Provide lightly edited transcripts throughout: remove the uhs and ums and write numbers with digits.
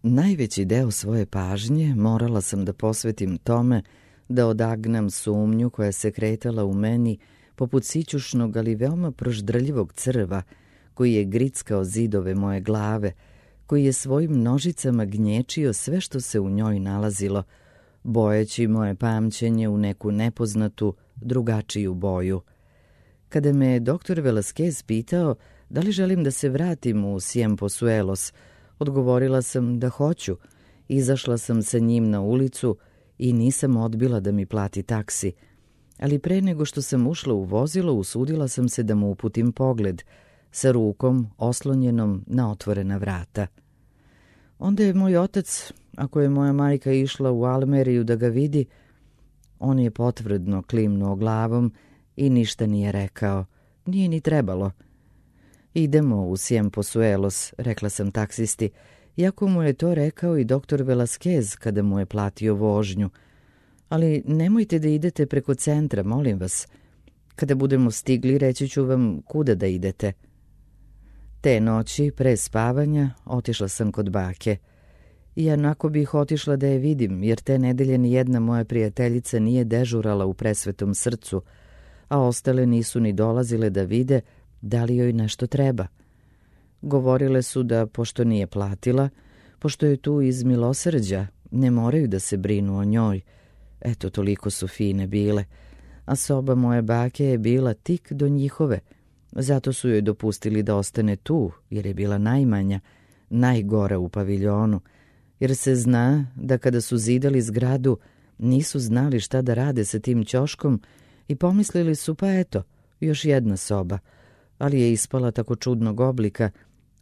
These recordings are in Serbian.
Najveći deo svoje pažnje morala sam da posvetim tome da odagnam sumnju koja se kretala u meni poput sićušnog, ali veoma proždrljivog crva, koji je grickao zidove moje glave, koji je svojim nožicama gnječio sve što se u njoj nalazilo, bojeći moje pamćenje u neku nepoznatu, drugačiju boju. Kada me doktor Velasquez pitao da li želim da se vratim u Ciempozuelos, odgovorila sam da hoću. Izašla sam sa njim na ulicu i nisam odbila da mi plati taksi, ali pre nego što sam ušla u vozilo, usudila sam se da mu uputim pogled, sa rukom oslonjenom na otvorena vrata. Onda je moj otac, ako je moja majka išla u Almeriju da ga vidi, on je potvrdno klimnuo glavom i ništa nije rekao. Nije ni trebalo. Idemo u Ciempozuelos, rekla sam taksisti, iako mu je to rekao i doktor Velasquez kada mu je platio vožnju. Ali nemojte da idete preko centra, molim vas. Kada budemo stigli, reći ću vam kuda da idete. Te noći, pre spavanja, otišla sam kod bake. I onako bih otišla da je vidim, jer te nedelje ni jedna moja prijateljica nije dežurala u Presvetom srcu, a ostale nisu ni dolazile da vide da li joj nešto treba. Govorile su da, pošto nije platila, pošto je tu iz milosrđa, ne moraju da se brinu o njoj. Eto, toliko su fine bile. A soba moje bake je bila tik do njihove. Zato su joj dopustili da ostane tu, jer je bila najmanja, najgora u paviljonu. Jer se zna da kada su zidali zgradu, nisu znali šta da rade sa tim ćoškom i pomislili su, pa eto, još jedna soba. Ali je ispala tako čudnog oblika,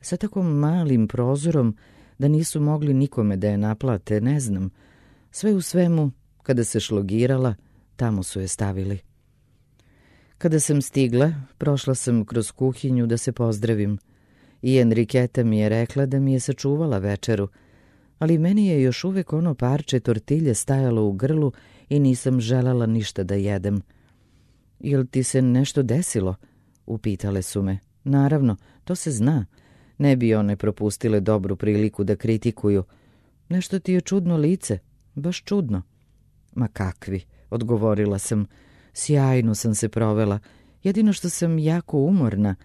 sa tako malim prozorom, da nisu mogli nikome da je naplate, ne znam. Sve u svemu, kada se šlogirala, tamo su je stavili. Kada sam stigla, prošla sam kroz kuhinju da se pozdravim. I Enriketa mi je rekla da mi je sačuvala večeru, ali meni je još uvek ono parče tortilje stajalo u grlu i nisam želala ništa da jedem. Jel ti se nešto desilo? Upitale su me. Naravno, to se zna. Ne bi one propustile dobru priliku da kritikuju. Nešto ti je čudno lice, baš čudno. Ma kakvi, odgovorila sam. Sjajno sam se provela, jedino što sam jako umorna.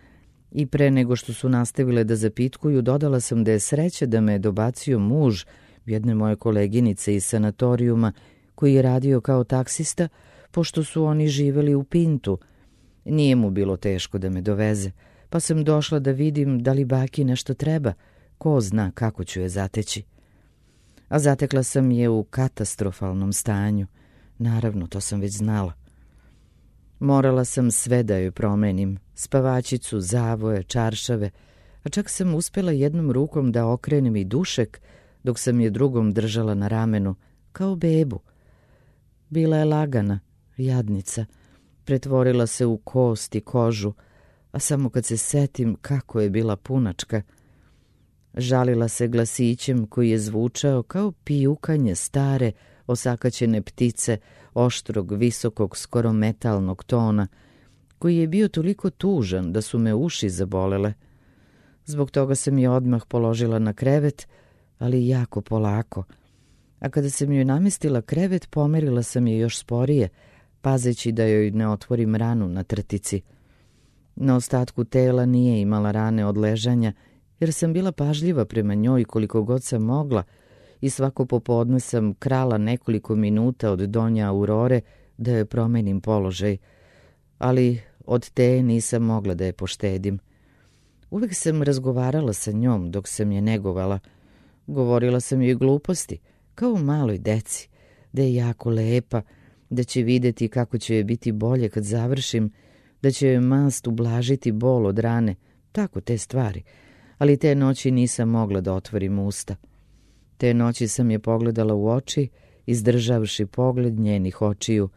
I pre nego što su nastavile da zapitkuju, dodala sam da je sreća da me je dobacio muž jedne moje koleginice iz sanatorijuma, koji je radio kao taksista, pošto su oni živeli u Pintu. Nije mu bilo teško da me doveze, pa sam došla da vidim da li baki nešto treba, ko zna kako ću je zateći. A zatekla sam je u katastrofalnom stanju. Naravno, to sam već znala. Morala sam sve da joj promenim, spavačicu, zavoje, čaršave, a čak sam uspjela jednom rukom da okrenem i dušek, dok sam je drugom držala na ramenu, kao bebu. Bila je lagana, jadnica, pretvorila se u kost i kožu, a samo kad se setim kako je bila punačka. Žalila se glasićem koji je zvučao kao pijukanje stare, osakaćene ptice, oštrog, visokog, skoro metalnog tona, koji je bio toliko tužan da su me uši zabolele. Zbog toga sam je odmah položila na krevet, ali jako polako. A kada sam joj namestila krevet, pomerila sam je još sporije, pazeći da joj ne otvorim ranu na trtici. Na ostatku tela nije imala rane od ležanja, jer sam bila pažljiva prema njoj koliko god sam mogla i svako popodne sam krala nekoliko minuta od donja Aurore da joj promenim položaj, ali od te nisam mogla da je poštedim. Uvek sam razgovarala sa njom dok sam je negovala. Govorila sam joj gluposti, kao maloj deci, da je jako lepa, da će videti kako će joj biti bolje kad završim, da će joj mast ublažiti bol od rane, tako te stvari. Ali te noći nisam mogla da otvorim usta. Te noći sam je pogledala u oči, izdržavši pogled njenih očiju,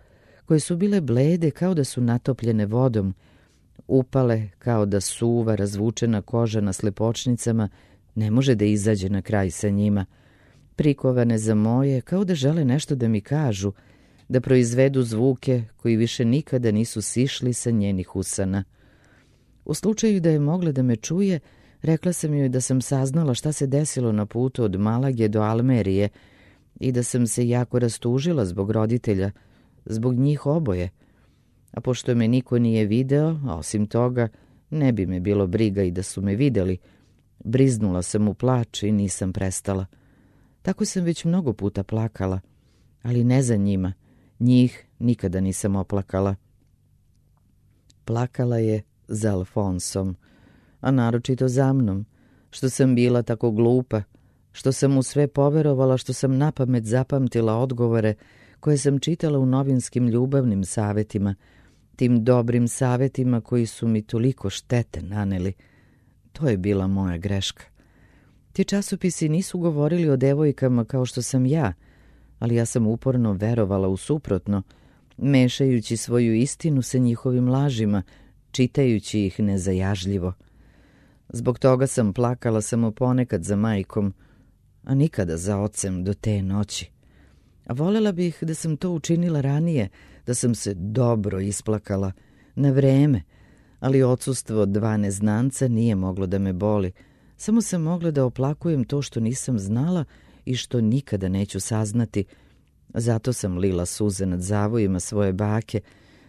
koje su bile blede kao da su natopljene vodom, upale kao da suva razvučena koža na slepočnicama ne može da izađe na kraj sa njima, prikovane za moje kao da žele nešto da mi kažu, da proizvedu zvuke koji više nikada nisu sišli sa njenih usana. U slučaju da je mogla da me čuje, Rekla sam joj da sam saznala šta se desilo na putu od Malage do Almerije i da sam se jako rastužila zbog roditelja, zbog njih oboje. A pošto me niko nije video, a osim toga, ne bi me bilo briga i da su me videli, briznula sam u plač i nisam prestala. Tako sam već mnogo puta plakala, ali ne za njima. Njih nikada nisam oplakala. Plakala je za Alfonsom, a naročito za mnom, što sam bila tako glupa, što sam mu sve poverovala, što sam napamet zapamtila odgovore koje sam čitala u novinskim ljubavnim savetima, tim dobrim savetima koji su mi toliko štete naneli. To je bila moja greška. Ti časopisi nisu govorili o devojkama kao što sam ja, ali ja sam uporno verovala u suprotno, mešajući svoju istinu sa njihovim lažima, čitajući ih nezajažljivo. Zbog toga sam plakala samo ponekad za majkom, a nikada za ocem do te noći. A volela bih da sam to učinila ranije, da sam se dobro isplakala, na vreme, ali odsustvo 2 neznanca nije moglo da me boli. Samo sam mogla da oplakujem to što nisam znala i što nikada neću saznati. Zato sam lila suze nad zavojima svoje bake,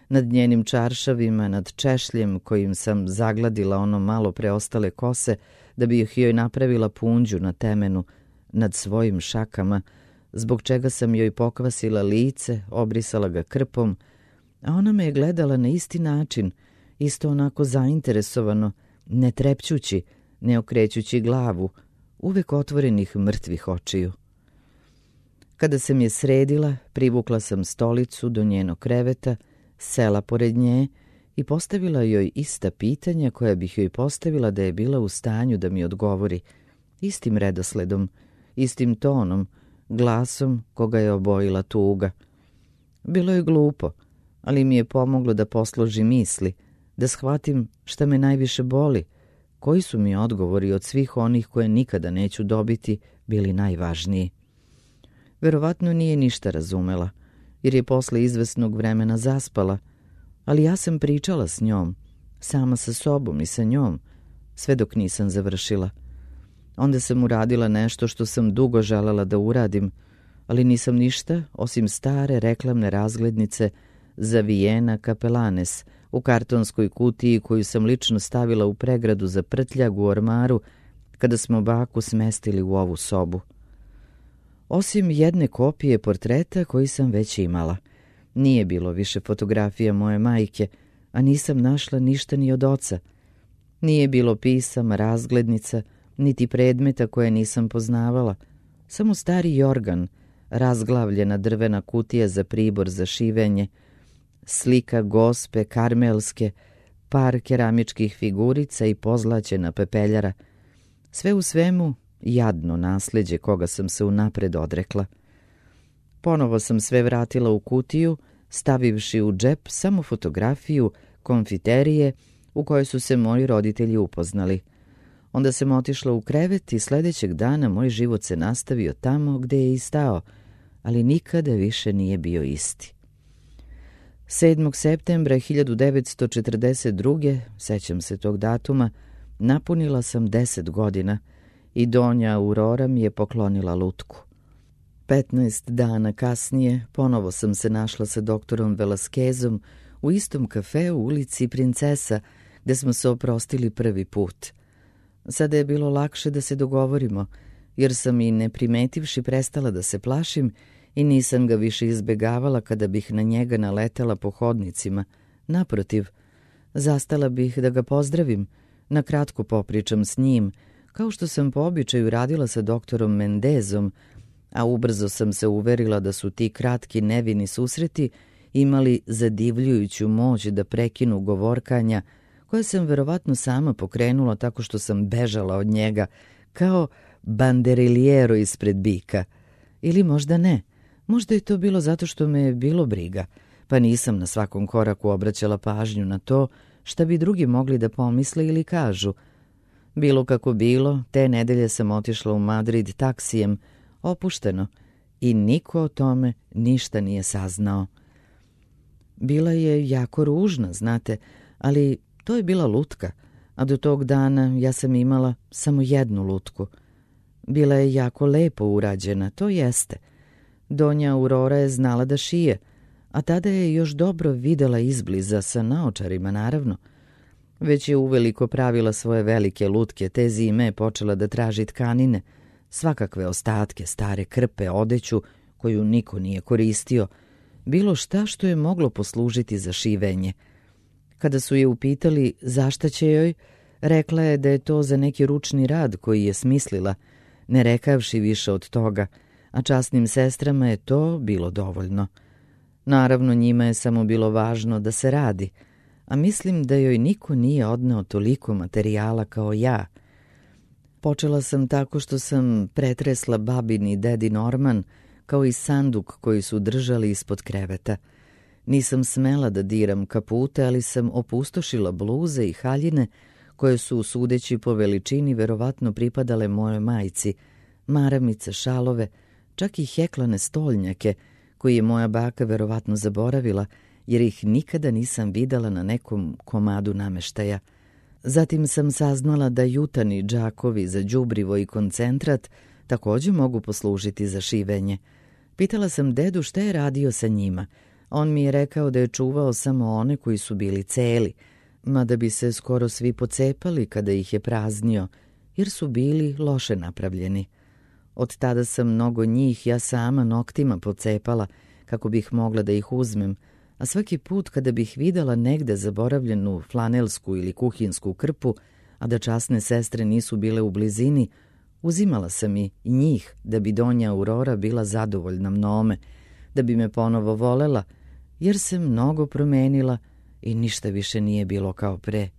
nad njenim čaršavima, nad češljem kojim sam zagladila ono malo preostale kose da bi ih joj napravila punđu na temenu, nad svojim šakama, zbog čega sam joj pokvasila lice, obrisala ga krpom, a ona me je gledala na isti način, isto onako zainteresovano, ne trepćući, ne okrećući glavu, uvek otvorenih mrtvih očiju. Kada sam je sredila, privukla sam stolicu do njenog kreveta, sela pored nje i postavila joj ista pitanja koja bih joj postavila da je bila u stanju da mi odgovori, istim redosledom, istim tonom, glasom koga je obojila tuga. Bilo je glupo, ali mi je pomoglo da posložim misli, da shvatim šta me najviše boli, koji su mi odgovori od svih onih koje nikada neću dobiti bili najvažniji. Verovatno nije ništa razumela, jer je posle izvesnog vremena zaspala, ali ja sam pričala s njom, sama sa sobom i sa njom, sve dok nisam završila. Onda sam uradila nešto što sam dugo želela da uradim, ali nisam ništa osim stare reklamne razglednice za Vijena Kapelanes u kartonskoj kutiji koju sam lično stavila u pregradu za prtljag u ormaru kada smo baku smestili u ovu sobu. Osim jedne kopije portreta koji sam već imala. Nije bilo više fotografija moje majke, a nisam našla ništa ni od oca. Nije bilo pisama, razglednica, niti predmeta koje nisam poznavala. Samo stari jorgan, razglavljena drvena kutija za pribor za šivenje, slika gospe karmelske, par keramičkih figurica i pozlaćena pepeljara. Sve u svemu jadno nasleđe koga sam se unapred odrekla. Ponovo sam sve vratila u kutiju, stavivši u džep samo fotografiju konfiterije u kojoj su se moji roditelji upoznali. Onda sam otišla u krevet i sledećeg dana moj život se nastavio tamo gde je i stao, ali nikada više nije bio isti. 7. septembra 1942. sećam se tog datuma, napunila sam 10 godina i Donja Aurora mi je poklonila lutku. 15 dana kasnije ponovo sam se našla sa doktorom Velasquezom u istom kafeu u ulici Princesa, gde smo se oprostili prvi put. Sada je bilo lakše da se dogovorimo, jer sam i ne primetivši prestala da se plašim i nisam ga više izbegavala kada bih na njega naletela po hodnicima. Naprotiv, zastala bih da ga pozdravim, na kratko popričam s njim, kao što sam po običaju radila sa doktorom Mendezom, a ubrzo sam se uverila da su ti kratki nevini susreti imali zadivljujuću moć da prekinu govorkanja, koje sam verovatno sama pokrenula tako što sam bežala od njega, kao banderiliero ispred bika. Ili možda ne, možda je to bilo zato što me je bilo briga, pa nisam na svakom koraku obraćala pažnju na to šta bi drugi mogli da pomisle ili kažu. Bilo kako bilo, te nedelje sam otišla u Madrid taksijem, opušteno, i niko o tome ništa nije saznao. Bila je jako ružna, znate, ali to je bila lutka, a do tog dana ja sam imala samo jednu lutku. Bila je jako lepo urađena, to jeste. Donja Aurora je znala da šije, a tada je još dobro videla izbliza, sa naočarima naravno. Već je uveliko pravila svoje velike lutke, te zime je počela da traži tkanine, svakakve ostatke, stare krpe, odeću koju niko nije koristio, bilo šta što je moglo poslužiti za šivenje. Kada su je upitali zašta će joj, rekla je da je to za neki ručni rad koji je smislila, ne rekavši više od toga, a časnim sestrama je to bilo dovoljno. Naravno, njima je samo bilo važno da se radi, a mislim da joj niko nije odneo toliko materijala kao ja. Počela sam tako što sam pretresla babin i dedin orman, kao i sanduk koji su držali ispod kreveta. Nisam smela da diram kapute, ali sam opustošila bluze i haljine, koje su, sudeći po veličini, verovatno pripadale mojoj majci, maramice, šalove, čak i heklane stolnjake, koji je moja baka verovatno zaboravila, jer ih nikada nisam videla na nekom komadu nameštaja. Zatim sam saznala da jutani džakovi za đubrivo i koncentrat također mogu poslužiti za šivenje. Pitala sam dedu šta je radio sa njima. On mi je rekao da je čuvao samo one koji su bili celi, mada bi se skoro svi pocepali kada ih je praznio, jer su bili loše napravljeni. Od tada sam mnogo njih ja sama noktima pocepala kako bih mogla da ih uzmem, a svaki put kada bih videla negde zaboravljenu flanelsku ili kuhinsku krpu, a da časne sestre nisu bile u blizini, uzimala sam i njih da bi Donja Aurora bila zadovoljna mnome, da bi me ponovo volela, jer se mnogo promenila i ništa više nije bilo kao pre.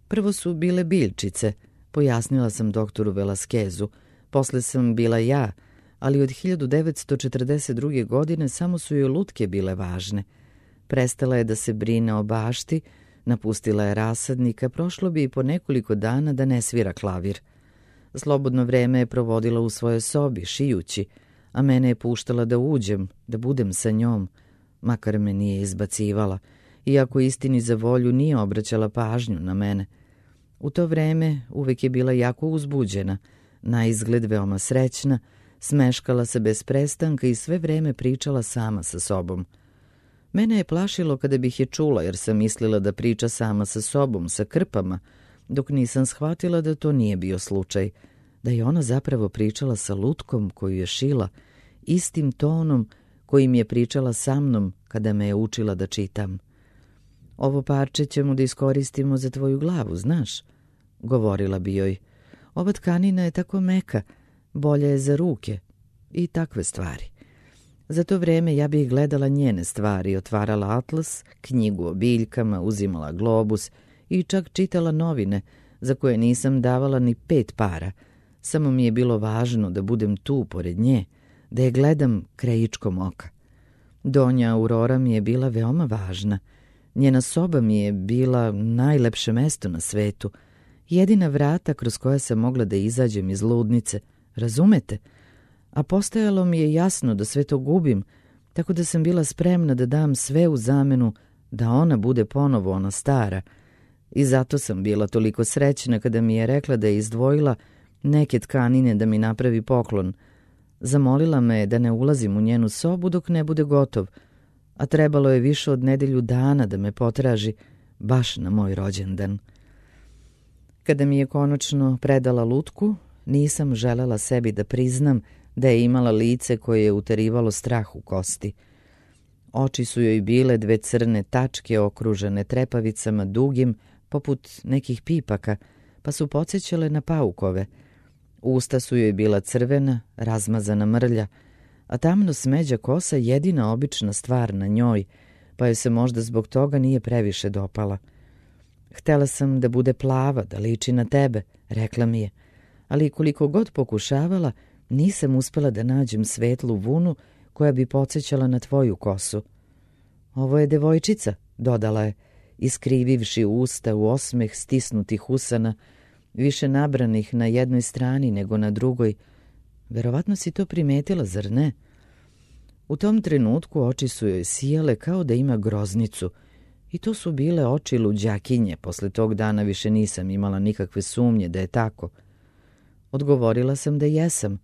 Prvo su bile biljčice, pojasnila sam doktoru Velaskezu, posle sam bila ja, ali od 1942. godine samo su joj lutke bile važne. Prestala je da se brine o bašti, napustila je rasadnika, prošlo bi i po nekoliko dana da ne svira klavir. Slobodno vreme je provodila u svojoj sobi, šijući, a mene je puštala da uđem, da budem sa njom, makar me nije izbacivala, iako istini za volju nije obraćala pažnju na mene. U to vreme uvek je bila jako uzbuđena, na izgled veoma srećna, smeškala se bez prestanka i sve vreme pričala sama sa sobom. Mene je plašilo kada bih je čula, jer sam mislila da priča sama sa sobom, sa krpama, dok nisam shvatila da to nije bio slučaj, da je ona zapravo pričala sa lutkom koju je šila, istim tonom kojim je pričala sa mnom kada me je učila da čitam. Ovo parče ćemo da iskoristimo za tvoju glavu, znaš, govorila bi joj. Ova tkanina je tako meka, bolja je za ruke i takve stvari. Za to vreme ja bih gledala njene stvari, otvarala atlas, knjigu o biljkama, uzimala globus i čak čitala novine, za koje nisam davala ni 5 para. Samo mi je bilo važno da budem tu pored nje, da je gledam krajičkom oka. Donja Aurora mi je bila veoma važna. Njena soba mi je bila najlepše mesto na svetu, jedina vrata kroz koja sam mogla da izađem iz ludnice, razumete? A postajalo mi je jasno da sve to gubim, tako da sam bila spremna da dam sve u zamenu da ona bude ponovo ona stara. I zato sam bila toliko srećna kada mi je rekla da je izdvojila neke tkanine da mi napravi poklon. Zamolila me da ne ulazim u njenu sobu dok ne bude gotov, a trebalo je više od nedelju dana da me potraži baš na moj rođendan. Kada mi je konačno predala lutku, nisam želela sebi da priznam da je imala lice koje je uterivalo strah u kosti. Oči su joj bile 2 crne tačke okružene trepavicama dugim, poput nekih pipaka, pa su podsjećale na paukove. Usta su joj bila crvena, razmazana mrlja, a tamno smeđa kosa jedina obična stvar na njoj, pa joj se možda zbog toga nije previše dopala. Htela sam da bude plava, da liči na tebe, rekla mi je, ali koliko god pokušavala, nisam uspela da nađem svetlu vunu koja bi podsjećala na tvoju kosu. Ovo je devojčica, dodala je, iskrivivši usta u osmeh stisnutih usana, više nabranih na jednoj strani nego na drugoj. Verovatno si to primetila, zar ne? U tom trenutku oči su joj sijale kao da ima groznicu I to su bile oči luđakinje. Posle tog dana više nisam imala nikakve sumnje da je tako. Odgovorila sam da jesam,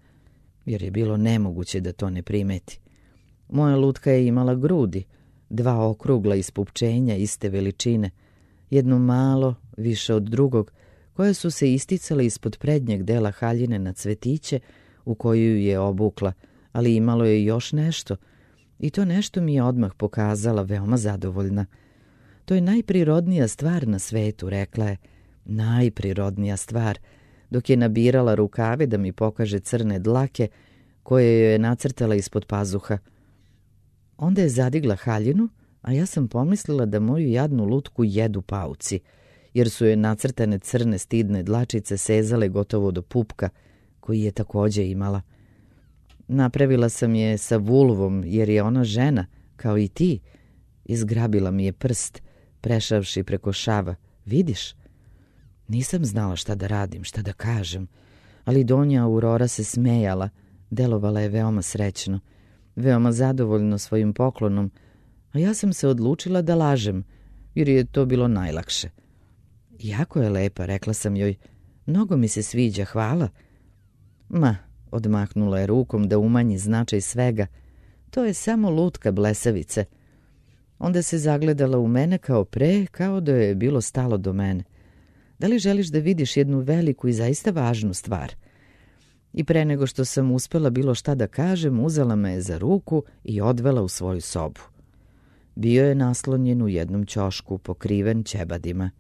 jer je bilo nemoguće da to ne primeti. Moja lutka je imala grudi, 2 okrugla ispupčenja iste veličine, jedno malo, više od drugog, koje su se isticale ispod prednjeg dela haljine na cvetiće u koju je obukla, ali imalo je još nešto, i to nešto mi je odmah pokazala, veoma zadovoljna. To je najprirodnija stvar na svetu, rekla je, najprirodnija stvar, dok je nabirala rukave da mi pokaže crne dlake koje joj je nacrtala ispod pazuha. Onda je zadigla haljinu, a ja sam pomislila da moju jadnu lutku jedu pauci, jer su joj nacrtane crne stidne dlačice sezale gotovo do pupka, koji je takođe imala. Napravila sam je sa vulvom, jer je ona žena, kao i ti. Izgrabila mi je prst, prešavši preko šava. Vidiš? Nisam znala šta da radim, šta da kažem, ali Donja Aurora se smejala, delovala je veoma srećno, veoma zadovoljno svojim poklonom, a ja sam se odlučila da lažem, jer je to bilo najlakše. Jako je lepa, rekla sam joj, mnogo mi se sviđa, hvala. Ma, odmahnula je rukom da umanji značaj svega, to je samo lutka blesavice. Onda se zagledala u mene kao pre, kao da joj je bilo stalo do mene. Da li želiš da vidiš jednu veliku i zaista važnu stvar? I pre nego što sam uspela bilo šta da kažem, uzela me je za ruku i odvela u svoju sobu. Bio je naslonjen u jednom ćošku, pokriven ćebadima.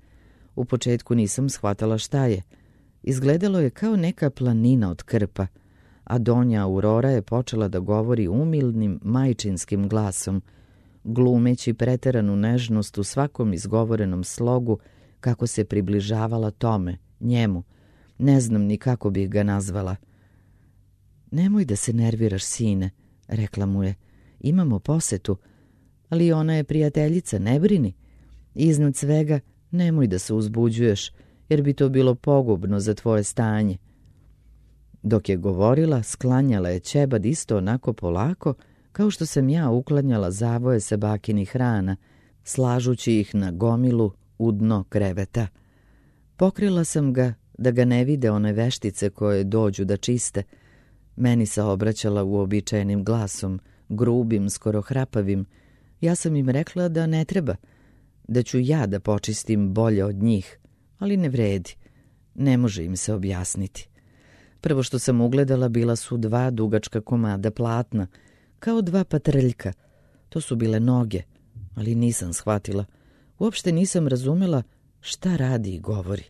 U početku nisam shvatala šta je. Izgledalo je kao neka planina od krpa, a Donja Aurora je počela da govori umilnim, majčinskim glasom, glumeći preteranu nežnost u svakom izgovorenom slogu, kako se približavala tome, njemu. Ne znam ni kako bih ga nazvala. Nemoj da se nerviraš, sine, rekla mu je. Imamo posetu, ali ona je prijateljica, ne brini. Iznad svega, nemoj da se uzbuđuješ, jer bi to bilo pogubno za tvoje stanje. Dok je govorila, sklanjala je ćebad isto onako polako, kao što sam ja uklanjala zavoje sa bakinih rana, slažući ih na gomilu u dno kreveta. Pokrila sam ga da ga ne vide one veštice koje dođu da čiste. Meni se obraćala uobičajenim glasom, grubim, skoro hrapavim. Ja sam im rekla da ne treba, da ću ja da počistim bolje od njih, ali ne vredi. Ne može im se objasniti. Prvo što sam ugledala bila su 2 dugačka komada platna, kao 2 patrljka. To su bile noge, ali nisam shvatila. Uopšte nisam razumela šta radi i govori.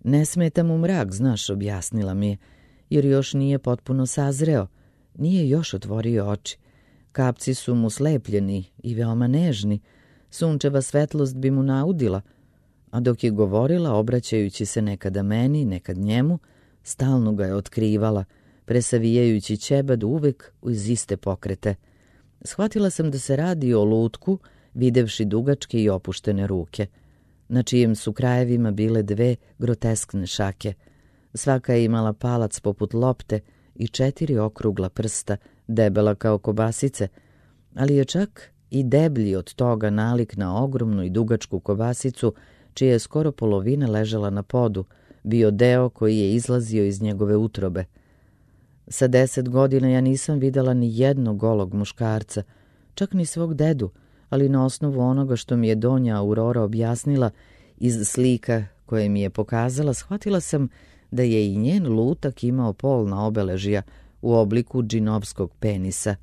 Ne smeta mu mrak, znaš, objasnila mi je, jer još nije potpuno sazreo, nije još otvorio oči. Kapci su mu slepljeni i veoma nežni, sunčeva svetlost bi mu naudila, a dok je govorila, obraćajući se nekada meni, nekad njemu, stalno ga je otkrivala, presavijajući ćebad uvek uz iste pokrete. Shvatila sam da se radi o lutku, videvši dugačke i opuštene ruke, na čijem su krajevima bile 2 groteskne šake. Svaka je imala palac poput lopte i 4 okrugla prsta, debela kao kobasice, ali je čak i deblji od toga nalik na ogromnu i dugačku kobasicu, čija je skoro polovina ležala na podu, bio deo koji je izlazio iz njegove utrobe. Sa 10 godina ja nisam videla ni jednog golog muškarca, čak ni svog dedu, ali na osnovu onoga što mi je Donja Aurora objasnila iz slika koje mi je pokazala, shvatila sam da je i njen lutak imao polna obeležja u obliku džinovskog penisa.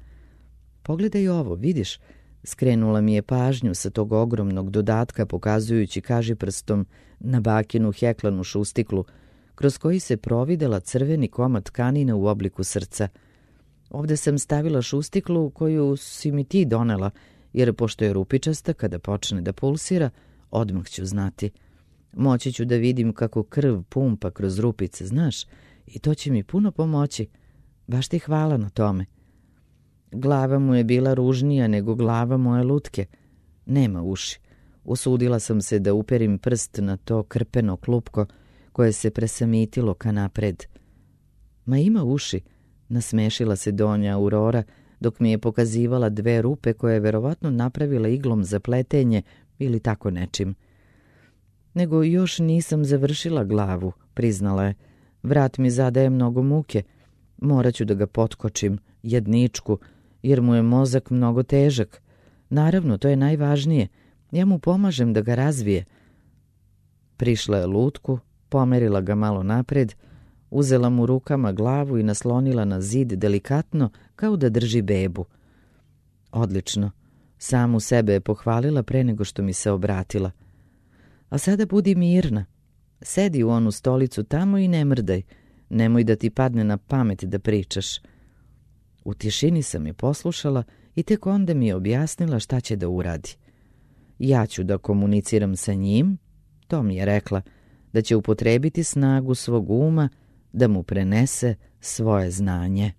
Pogledaj ovo, vidiš, skrenula mi je pažnju sa tog ogromnog dodatka pokazujući kažiprstom na bakinu heklanu šustiklu, kroz koji se providela crveni komad tkanine u obliku srca. Ovde sam stavila šustiklu koju si mi ti donela, jer pošto je rupičasta, kada počne da pulsira, odmah ću znati. Moći ću da vidim kako krv pumpa kroz rupice, znaš, i to će mi puno pomoći. Baš ti hvala na tome. Glava mu je bila ružnija nego glava moje lutke. Nema uši. Usudila sam se da uperim prst na to krpeno klupko koje se presamitilo ka napred. Ma ima uši, nasmešila se Donja Aurora, dok mi je pokazivala 2 rupe koje je verovatno napravila iglom za pletenje ili tako nečim. Nego još nisam završila glavu, priznala je. Vrat mi zadaje mnogo muke. Morat ću da ga potkočim, jedničku, jer mu je mozak mnogo težak. Naravno, to je najvažnije. Ja mu pomažem da ga razvije. Prišla je lutku, pomerila ga malo napred, uzela mu rukama glavu i naslonila na zid delikatno, kao da drži bebu. Odlično. Samu sebe je pohvalila pre nego što mi se obratila. A sada budi mirna. Sedi u onu stolicu tamo i ne mrdaj. Nemoj da ti padne na pamet da pričaš. U tišini sam je poslušala i tek onda mi je objasnila šta će da uradi. Ja ću da komuniciram sa njim, to mi je rekla, da će upotrebiti snagu svog uma da mu prenese svoje znanje.